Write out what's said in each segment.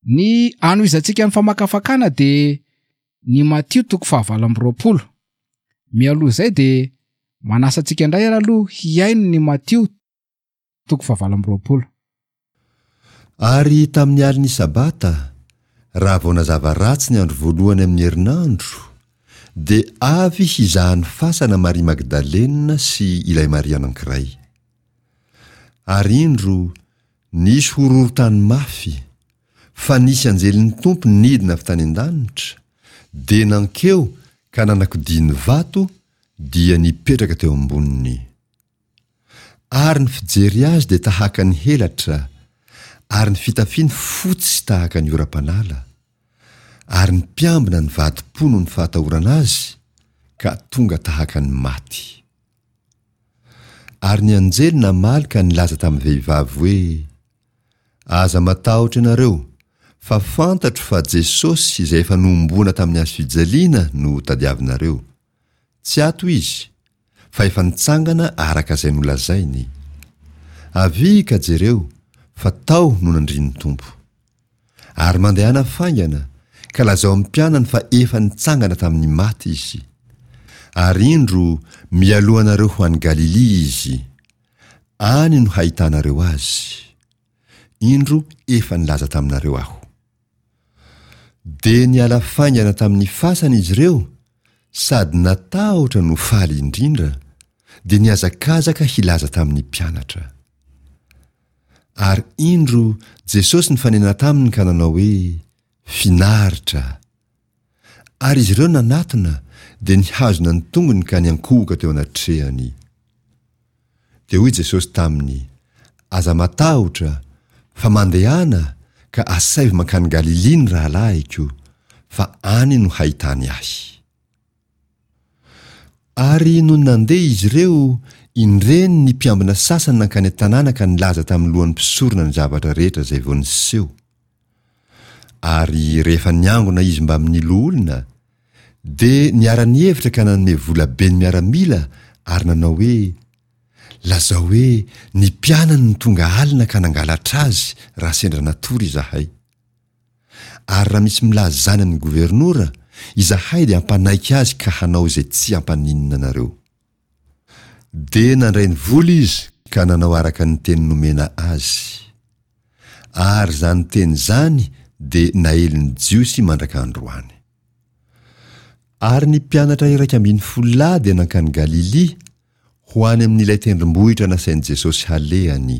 Ny hanohizantsika ny famakafakana dia ny Matio toko fahavalo amby 20. Mialoha izay dia manasa antsika indray ary aloha hihaino ny Matio toko fahavalo amby 20. Ary tamin'ny alin'ny Sabata, raha vao nazava ratsy ny andro voalohany amin'ny herinandro, dia avy hizaha ny fasana Maria Magdalena sy ilay Maria anankiray. Ary indro, nisy horohorontany mafy, fa nisy anjelin'ny Tompo nidina avy tany an-danitra, dia nankeo ka nanakodia ny vato, dia nipetraka teo amboniny. Ary ny fijery azy dia tahaka ny helatra, ary ny fitafiany fotsy tahaka ny oram-panala. Ary ny mpiambina nivadi-po noho ny fahatahorana azy, ka tonga tahaka ny maty. Ary ny anjely namaly ka nilaza tamin'ny vehivavy hoe, Aza matahotra ianareo, fa fantatro fa Jesosy izay efa nohomboana tamin'ny hazo fijaliana no tadiavinareo. Tsy ato izy, fa efa nitsangana araka izay nolazainy. Avia ka jereo, fa tao no nandrian'ny Tompo. Ary mandehana faingana, ka lazao amin'ny mpianany fa efa nitsangana tamin'ny maty izy. Ary indro, mialoha anareo ho any Galilia izy. Any no hahitanareo azy. Indro efa nilaza taminareo aho. Dia niala faingana tamin'ny fasana izy ireo, sady natahotra no faly indrindra, dia nihazakazaka hilaza tamin'ny mpianatra. Ary indro Jesosy nifanena taminy ka nanao hoe, Finaritra! Ary izy ireo nanatona, dia nihazona ny tongony ka niankohoka teo anatrehany. Dia hoy Jesosy taminy, Aza matahotra, fa mandehana ka asaivo mankany Galilia ny rahalahiko, fa any no hahitany ahy. Ary nony nandeha izy ireo, indreny ny mpiambina sasany nankany an-tanàna ka nilaza tamin'ny lohan'ny mpisorona ny zavatra rehetra izay vao niseho. Ary rehefa niangona izy mbamin'ny loholona, dia niara-nihevitra ka nanome vola be ny miaramila ary nanao hoe, Lazao hoe ny mpianany no tonga alina ka nangalatra azy raha sendra natory izahay. Ary raha misy milaza izany amin'ny governora, izahay dia hampanaiky azy ka hanao izay tsy hampaninona anareo. Dia nandray ny vola izy ka nanao araka ny teny nomena azy. Ary izany teny izany dia naelin'ny Jiosy mandraka androany. Ary ny mpianatra 11 lahy dia nankany Galilia, ho any amin'ilay tendrombohitra nasain'i Jesosy halehany.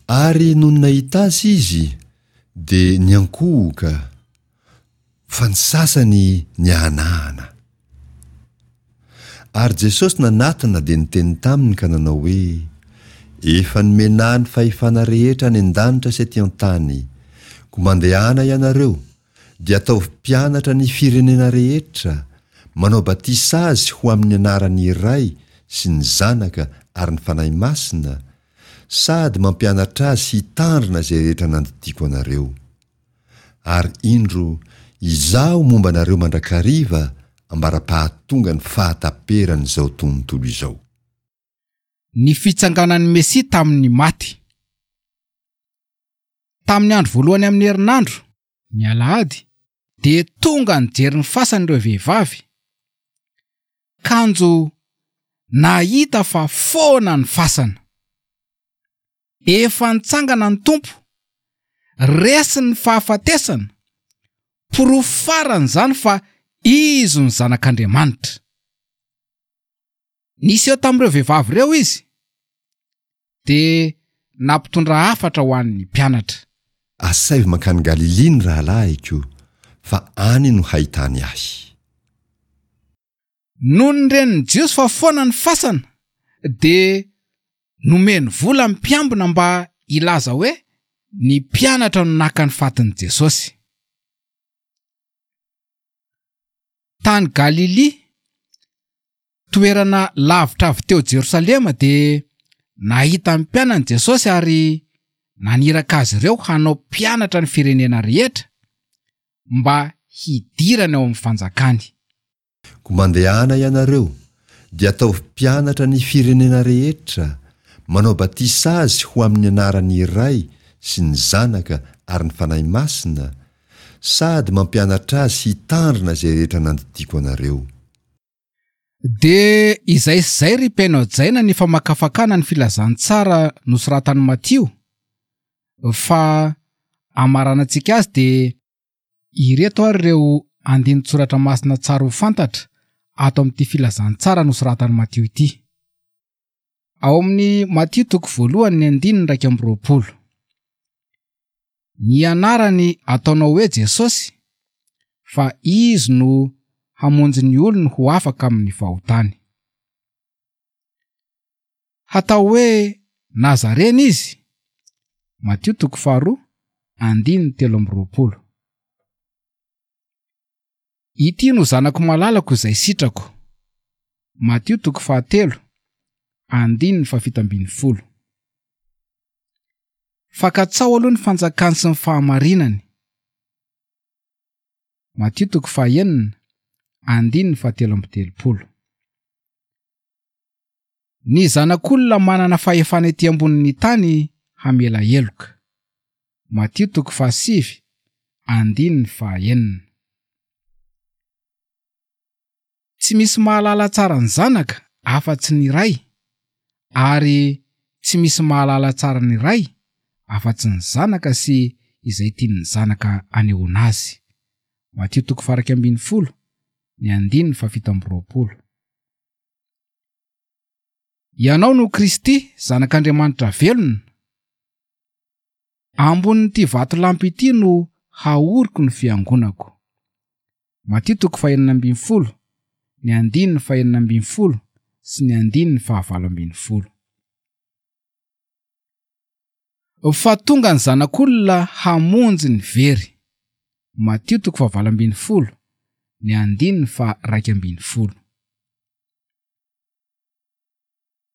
Ary nony nahita azy izy, dia niankohoka, fa ny sasany niahanahana. Ary Jesosy nanatona dia niteny taminy ka nanao hoe, Efa nomena Ahy ny fahefana rehetra any an-danitra sy aty an-tany. Koa mandehana ianareo, dia ataovy mpianatra ny firenena rehetra, manao batisa azy ho amin'ny anaran'ny Ray sy ny Zanaka ary ny Fanahy Masina, sady mampianatra azy hitandrina izay rehetra nandidiako anareo. Ary indro, Izaho momba anareo mandrakariva ambara-pahatonga ny fahataperan'izao tontolo izao. Ny fitsanganan'ny Mesia tamin'ny maty. Tamin'ny andro voalohany amin'ny herinandro, ny alahady, dia tonga nijery ny fasany ireo vehivavy, kanjo nahita fa foana ny fasana. Efa nitsangana ny Tompo, resy ny fahafatesana, porofo farany izany fa Izy no Zanak'Andriamanitra. Niseho tamin'ireo vehivavy ireo izy, dia nampitondra hafatra ho an'ny mpianatra. Asaivo mankany Galilia ny rahalahiko, fa any no hahitany ahy. Nony ren'ny Jiosy fa foana ny fasana, dia nomeny vola ny mpiambina mba hilaza hoe ny mpianatra no naka ny fatin'i Jesosy. Tany Galilia, toerana lavitra avy teo Jerosalema, dia nahita ny mpianany Jesosy ary naniraka azy ireo hanao mpianatra ny firenena rehetra mba hidirany ao amin'ny fanjakany. Koa mandehana ianareo, dia ataovy mpianatra ny firenena rehetra, manao batisa azy ho amin'ny anaran'ny Ray sy ny Zanaka. ary ny Fanahy Masina, sady mampianatra azy hitandrina izay rehetra nandidiako anareo. Dia izay sy izay ry mpihaino hajaina ny famakafakana ny filazantsara nosoratan'i Matio, fa hamaranantsika azy dia ireto ary ireo andinin-tsoratra masina tsara ho fantatra ato amin'ity filazantsara nosoratan'i Matio ity. Ao amin'ny Matio toko voalohany ny andininy 21. Ny anarany ataonao hoe Jesosy, fa Izy no hamonjy ny olony ho afaka amin'ny fahotany. Hatao hoe Nazarena Izy, Matio toko faharoa, andininy 23. Ity no Zanako malalako izay sitrako. Matio toko fahatelo, andininy fahafito ambin'ny folo. Fa katsaho aloha ny fanjakany sy ny fahamarinany. Matio toko fahenina, andininy fahatelo amby telopolo. Ny Zanak'olona manana fahefana ety ambonin'ny tany hamela heloka. Matio toko fahasivy, andininy fahaenina. Tsy misy mahalala tsara ny Zanaka afa-tsy ny Ray, ary tsy misy mahalala tsara ny Ray afa-tsy ny Zanaka sy izay tian'ny Zanaka anehoana azy. Matio toko faha-11, ny andininy faha-27. Ianao no Kristy, Zanak'Andriamanitra velona. Ambonin'ity vatolampy ity no haoriko ny fiangonako. Matio toko fahenina ambin'ny folo, ny andininy fahenina ambin'ny folo sy ny andininy fahavalo ambin'ny folo. Fa tonga ny Zanak'olona hamonjy ny very. Matio toko fahavalo ambin'ny folo, ny andininy faha-iraika ambin'ny folo.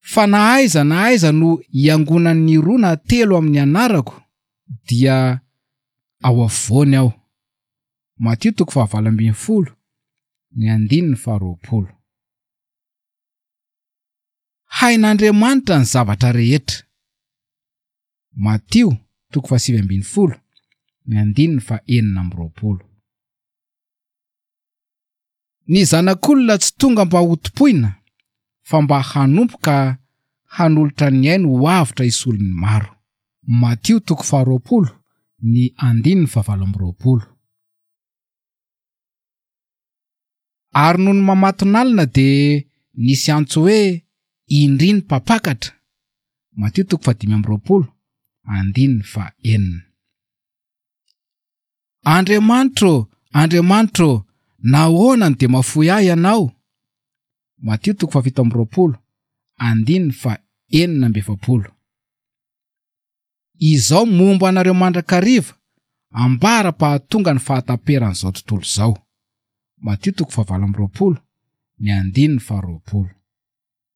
Fa na aiza na aiza no iangonan'ny roa na telo amin'ny anarako, dia ao afovoany aho. Matio toko fahavalo ambin'ny folo, ny andininy faharoapolo. Hain'Andriamanitra ny zavatra rehetra. Matio toko fahasivy ambin'ny folo, ny andininy fahenina amby roapolo. Ny Zanak'olona tsy tonga mba hotompoina, fa mba hanompo ka hanolotra ny ainy ho avotra hisolo ny maro. Matio toko faharoapolo, ny andininy fahavalo amby roapolo. Ary nony mamatonalina dia nisy antso hoe, Indry ny mpampakatra! Matio toko fahadimy amby roapolo, andininy fahenina. Andriamanitro ô, Andriamanitro ô, nahoana no dia mahafoy ahy Ianao? Matio toko fahafito amby roapolo, andininy fahenina amby efapolo. Izao momba anareo mandrakariva, ambara-pahatonga ny fahataperan'izao tontolo izao. Matio toko fahavalo amby roapolo, ny andininy faharoapolo.